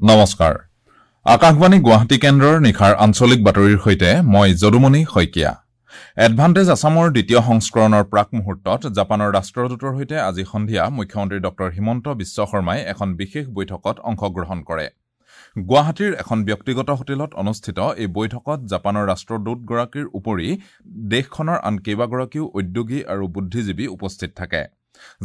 নমস্কাৰ, আকাশবাণী গুৱাহাটী কেন্দ্ৰৰ নিশাৰ আঞ্চলিক বাতৰিৰ সৈতে মই যদুমণি শইকীয়া। এডভান্টেজ আছামৰ দ্বিতীয় সংস্কৰণৰ প্ৰাক মুহূৰ্তত জাপানৰ ৰাষ্ট্ৰদূতৰ সৈতে আজি সন্ধিয়া মুখ্যমন্ত্ৰী ডঃ হিমন্ত বিশ্ব শৰ্মাই এখন বিশেষ বৈঠকত অংশগ্ৰহণ কৰে। গুৱাহাটীৰ এখন ব্যক্তিগত হোটেলত অনুষ্ঠিত এই বৈঠকত জাপানৰ ৰাষ্ট্ৰদূতগৰাকীৰ উপৰি দেশখনৰ আন কেইবাগৰাকীও উদ্যোগী আৰু বুদ্ধিজীৱী উপস্থিত থাকে।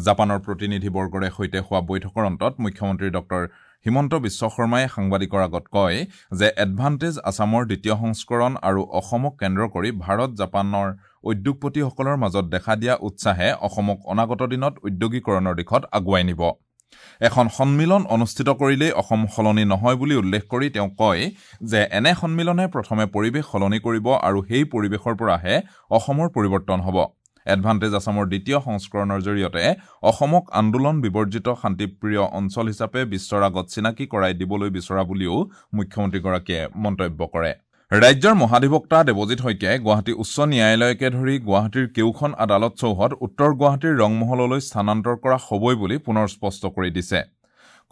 জাপানৰ প্ৰতিনিধিবৰ্গৰে সৈতে হোৱা বৈঠকৰ অন্তত মুখ্যমন্ত্ৰী ডঃ হিমন্ত বিশ্ব শৰ্মাই সাংবাদিকৰ আগত কয় যে এডভান্টেজ আছামৰ দ্বিতীয় সংস্কৰণ আৰু অসমক কেন্দ্ৰ কৰি ভাৰত জাপানৰ উদ্যোগপতিসকলৰ মাজত দেখা দিয়া উৎসাহে অসমক অনাগত দিনত উদ্যোগীকৰণৰ দিশত আগুৱাই নিব। এখন সন্মিলন অনুষ্ঠিত কৰিলেই অসম সলনি নহয় বুলি উল্লেখ কৰি তেওঁ কয় যে এনে সন্মিলনে প্ৰথমে পৰিৱেশ সলনি কৰিব আৰু সেই পৰিৱেশৰ পৰাহে অসমৰ পৰিৱৰ্তন হ'ব। এডভান্টেজ আছামৰ দ্বিতীয় সংস্কৰণৰ জৰিয়তে অসমক আন্দোলন বিবৰ্জিত শান্তিপ্ৰিয় অঞ্চল হিচাপে বিশ্বৰ আগত চিনাকি কৰাই দিবলৈ বিচৰা বুলিও মুখ্যমন্ত্ৰীগৰাকীয়ে মন্তব্য কৰে। ৰাজ্যৰ মহাধিবক্তা দেৱজিৎ শইকীয়াই গুৱাহাটী উচ্চ ন্যায়ালয়কে ধৰি গুৱাহাটীৰ কেউখন আদালত চৌহদ উত্তৰ গুৱাহাটীৰ ৰংমহললৈ স্থানান্তৰ কৰা হ'বই বুলি পুনৰ স্পষ্ট কৰি দিছে।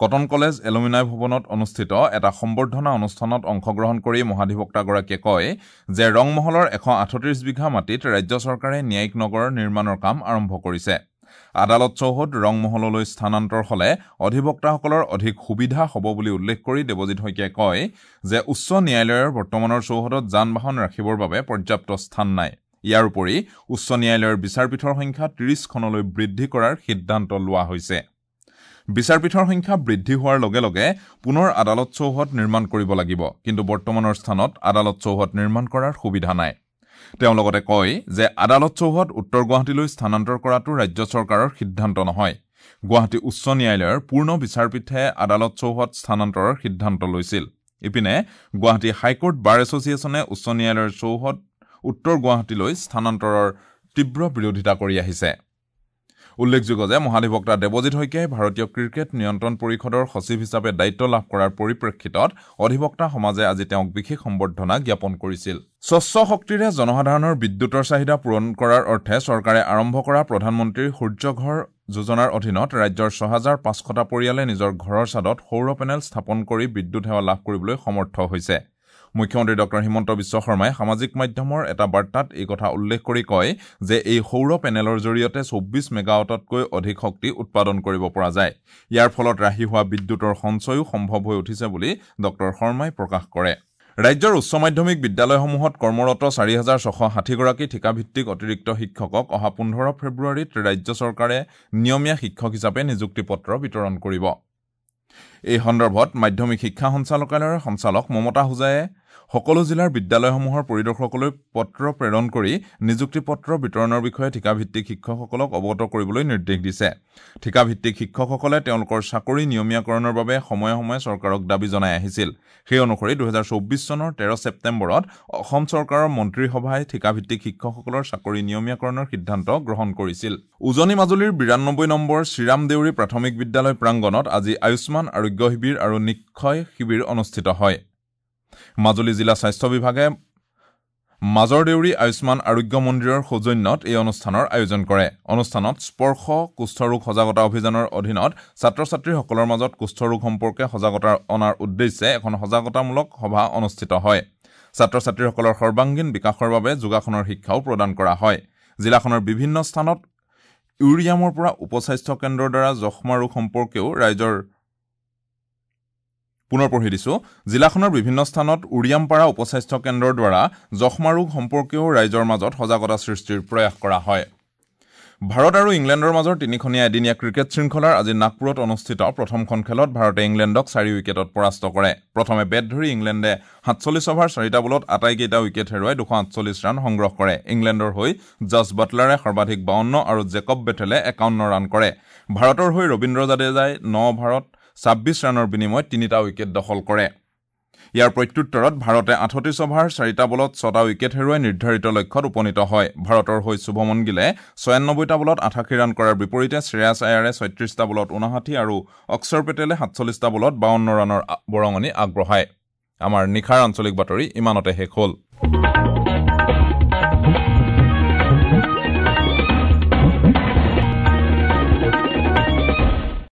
কটন কলেজ এলুমিনাই ভৱনত অনুষ্ঠিত এটা সম্বৰ্ধনা অনুষ্ঠানত অংশগ্ৰহণ কৰি মহাধিবক্তাগৰাকীয়ে কয় যে ৰংমহলৰ 138 বিঘা মাটিত ৰাজ্য চৰকাৰে ন্যায়িক নগৰ নিৰ্মাণৰ কাম আৰম্ভ কৰিছে। আদালত চৌহদ ৰংমহললৈ স্থানান্তৰ হ'লে অধিবক্তাসকলৰ অধিক সুবিধা হ'ব বুলি উল্লেখ কৰি দেৱজিৎ শইকীয়াই কয় যে উচ্চ ন্যায়ালয়ৰ বৰ্তমানৰ চৌহদত যান বাহন ৰাখিবৰ বাবে পৰ্যাপ্ত স্থান নাই। ইয়াৰ উপৰি উচ্চ ন্যায়ালয়ৰ বিচাৰপীঠৰ সংখ্যা 30খনলৈ বৃদ্ধি কৰাৰ সিদ্ধান্ত লোৱা হৈছে। বিচাৰপীঠৰ সংখ্যা বৃদ্ধি হোৱাৰ লগে লগে পুনৰ আদালত চৌহদ নিৰ্মাণ কৰিব লাগিব, কিন্তু বৰ্তমানৰ স্থানত আদালত চৌহদ নিৰ্মাণ কৰাৰ সুবিধা নাই। তেওঁ লগতে কয় যে আদালত চৌহদ উত্তৰ গুৱাহাটীলৈ স্থানান্তৰ কৰাটো ৰাজ্য চৰকাৰৰ সিদ্ধান্ত নহয়। গুৱাহাটী উচ্চ ন্যায়ালয়ৰ পূৰ্ণ বিচাৰপীঠে আদালত চৌহদ স্থানান্তৰৰ সিদ্ধান্ত লৈছিল। ইপিনে গুৱাহাটী হাইকোৰ্ট বাৰ এছ'চিয়েশ্যনে উচ্চ ন্যায়ালয়ৰ চৌহদ উত্তৰ গুৱাহাটীলৈ স্থানান্তৰৰ তীব্ৰ বিৰোধিতা কৰি আহিছে। উল্লেখযোগ্য যে মহাধিবক্তা দেৱজিৎ শইকীয়াই ভাৰতীয় ক্ৰিকেট নিয়ন্ত্ৰণ পৰিষদৰ সচিব হিচাপে দায়িত্ব লাভ কৰাৰ পৰিপ্ৰেক্ষিতত অধিবক্তা সমাজে আজি তেওঁক বিশেষ সম্বৰ্ধনা জ্ঞাপন কৰিছিল। স্বচ্ছ শক্তিৰে জনসাধাৰণৰ বিদ্যুতৰ চাহিদা পূৰণ কৰাৰ অৰ্থে চৰকাৰে আৰম্ভ কৰা প্ৰধানমন্ত্ৰীৰ সূৰ্যঘৰ যোজনাৰ অধীনত ৰাজ্যৰ 6500টা পৰিয়ালে নিজৰ ঘৰৰ ছাদত সৌৰ পেনেল স্থাপন কৰি বিদ্যুৎ সেৱা লাভ কৰিবলৈ সমৰ্থ হৈছে। মুখ্যমন্ত্ৰী ডঃ হিমন্ত বিশ্ব শৰ্মাই সামাজিক মাধ্যমৰ এটা বাৰ্তাত এই কথা উল্লেখ কৰি কয় যে এই সৌৰ পেনেলৰ জৰিয়তে 24 মেগাৱাটতকৈ অধিক শক্তি উৎপাদন কৰিব পৰা যায়। ইয়াৰ ফলত ৰাহি হোৱা বিদ্যুতৰ সঞ্চয়ো সম্ভৱ হৈ উঠিছে বুলি ডঃ শৰ্মাই প্ৰকাশ কৰে। ৰাজ্যৰ উচ্চ মাধ্যমিক বিদ্যালয়সমূহত কৰ্মৰত 4660গৰাকী ঠিকাভিত্তিক অতিৰিক্ত শিক্ষকক অহা 15 ফেব্ৰুৱাৰীত ৰাজ্য চৰকাৰে নিয়মীয়া শিক্ষক হিচাপে নিযুক্তি পত্ৰ বিতৰণ কৰিব। এই সন্দৰ্ভত মাধ্যমিক শিক্ষা সঞ্চালকালয়ৰ সঞ্চালক মমতা হোজায়ে সকলো জিলাৰ বিদ্যালয়সমূহৰ পৰিদৰ্শকলৈ পত্ৰ প্ৰেৰণ কৰি নিযুক্তি পত্ৰ বিতৰণৰ বিষয়ে ঠিকাভিত্তিক শিক্ষকসকলক অৱগত কৰিবলৈ নিৰ্দেশ দিছে। ঠিকাভিত্তিক শিক্ষকসকলে তেওঁলোকৰ চাকৰি নিয়মীয়াকৰণৰ বাবে সময়ে সময়ে চৰকাৰক দাবী জনাই আহিছিল। সেই অনুসৰি 2024 চনৰ 13 ছেপ্টেম্বৰত অসম চৰকাৰৰ মন্ত্ৰীসভাই ঠিকাভিত্তিক শিক্ষকসকলৰ চাকৰি নিয়মীয়াকৰণৰ সিদ্ধান্ত গ্ৰহণ কৰিছিল। উজনি মাজুলীৰ 92 নম্বৰ শ্ৰীৰাম দেউৰী প্ৰাথমিক বিদ্যালয় প্ৰাংগণত আজি আয়ুষ্মান আৰোগ্য শিবিৰ আৰু নিক্ষয় শিবিৰ অনুষ্ঠিত হয়। মাজুলী জিলা স্বাস্থ্য বিভাগে মাজৰ দেউৰী আয়ুষ্মান আৰোগ্য মন্দিৰৰ সৌজন্যত এই অনুষ্ঠানৰ আয়োজন কৰে। অনুষ্ঠানত স্পৰ্শ কুষ্ঠৰোগ সজাগতা অভিযানৰ অধীনত ছাত্ৰ ছাত্ৰীসকলৰ মাজত কুষ্ঠৰোগ সম্পৰ্কে সজাগতা অনাৰ উদ্দেশ্যে এখন সজাগতামূলক সভা অনুষ্ঠিত হয়। ছাত্ৰ ছাত্ৰীসকলৰ সৰ্বাংগীন বিকাশৰ বাবে যোগাসনৰ শিক্ষাও প্ৰদান কৰা হয়। জিলাখনৰ বিভিন্ন স্থানত ইউৰিয়ামৰ পৰা উপস্বাস্থ্য কেন্দ্ৰৰ দ্বাৰা যক্ষ্মা ৰোগ সম্পৰ্কেও ৰাইজৰ পুনৰ পঢ়ি দিছো। জিলাখনৰ বিভিন্ন স্থানত উৰিয়ামপাৰা উপস্বাস্থ্য কেন্দ্ৰৰ দ্বাৰা যক্ষ্মা ৰোগ সম্পৰ্কেও ৰাইজৰ মাজত সজাগতা সৃষ্টিৰ প্ৰয়াস কৰা হয়। ভাৰত আৰু ইংলেণ্ডৰ মাজৰ তিনিখনীয়া এদিনীয়া ক্ৰিকেট শৃংখলাৰ আজি নাগপুৰত অনুষ্ঠিত প্ৰথমখন খেলত ভাৰতে ইংলেণ্ডক 4 উইকেটত পৰাস্ত কৰে। প্ৰথমে বেট ধৰি ইংলেণ্ডে 47 অভাৰ 4টা বলত আটাইকেইটা উইকেট হেৰুৱাই 248 ৰান সংগ্ৰহ কৰে। ইংলেণ্ডৰ হৈ জছ বাটলাৰে সৰ্বাধিক 52 আৰু জেকব বেথেলে 51 ৰান কৰে। ভাৰতৰ হৈ ৰবীন্দ্ৰ জাদেজাই 9 অভাৰত 26 ৰানৰ বিনিময়ত 3টা উইকেট দখল কৰে। ইয়াৰ প্ৰত্যুত্তৰত ভাৰতে 38 অভাৰ 4টা বলত 6টা উইকেট হেৰুৱাই নিৰ্ধাৰিত লক্ষ্যত উপনীত হয়। ভাৰতৰ হৈ শুভমন গিলে 96টা বলত 88 ৰান কৰাৰ বিপৰীতে শ্ৰেয়াছ আয়াৰে 36টা বলত 59 আৰু অক্ষৰ পেটেলে 47টা বলত 52 ৰানৰ বৰঙণি আগবঢ়ায়। আমাৰ নিশাৰ আঞ্চলিক বাতৰি ইমানতে শেষ হ'ল।